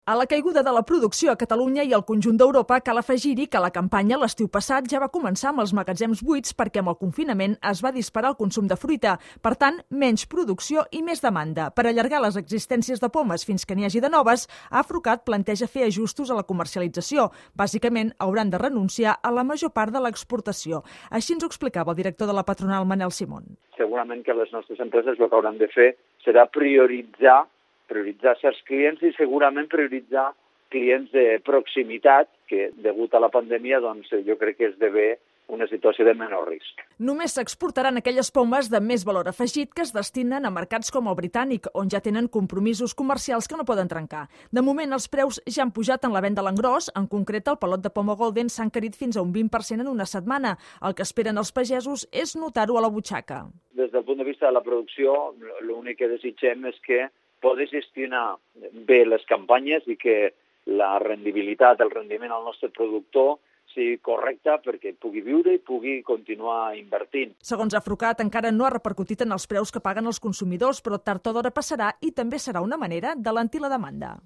A la caiguda de la producció a Catalunya i al conjunt d'Europa cal afegir-hi que la campanya l'estiu passat ja va començar amb els magatzems buits perquè amb el confinament es va disparar el consum de fruita. Per tant, menys producció i més demanda. Per allargar les existències de pomes fins que n'hi hagi de noves, Afrucat planteja fer ajustos a la comercialització. Bàsicament, hauran de renunciar a la major part de l'exportació. Així ens ho explicava el director de la patronal, Manel Simón. Segurament que les nostres empreses el que hauran de fer serà prioritzar certs clients i segurament prioritzar clients de proximitat que, degut a la pandèmia, doncs, jo crec que esdevé una situació de menor risc. Només s'exportaran aquelles pomes de més valor afegit que es destinen a mercats com el britànic, on ja tenen compromisos comercials que no poden trencar. De moment, els preus ja han pujat en la venda a l'engròs. En concret, el pelot de poma golden s'ha encarit fins a un 20% en una setmana. El que esperen els pagesos és notar-ho a la butxaca. Des del punt de vista de la producció, l'únic que desitgem és que poder gestionar bé les campanyes i que la rendibilitat, el rendiment al nostre productor sigui correcte perquè pugui viure i pugui continuar invertint. Segons Afrucat, encara no ha repercutit en els preus que paguen els consumidors, però tard o d'hora passarà i també serà una manera d'alentir la demanda.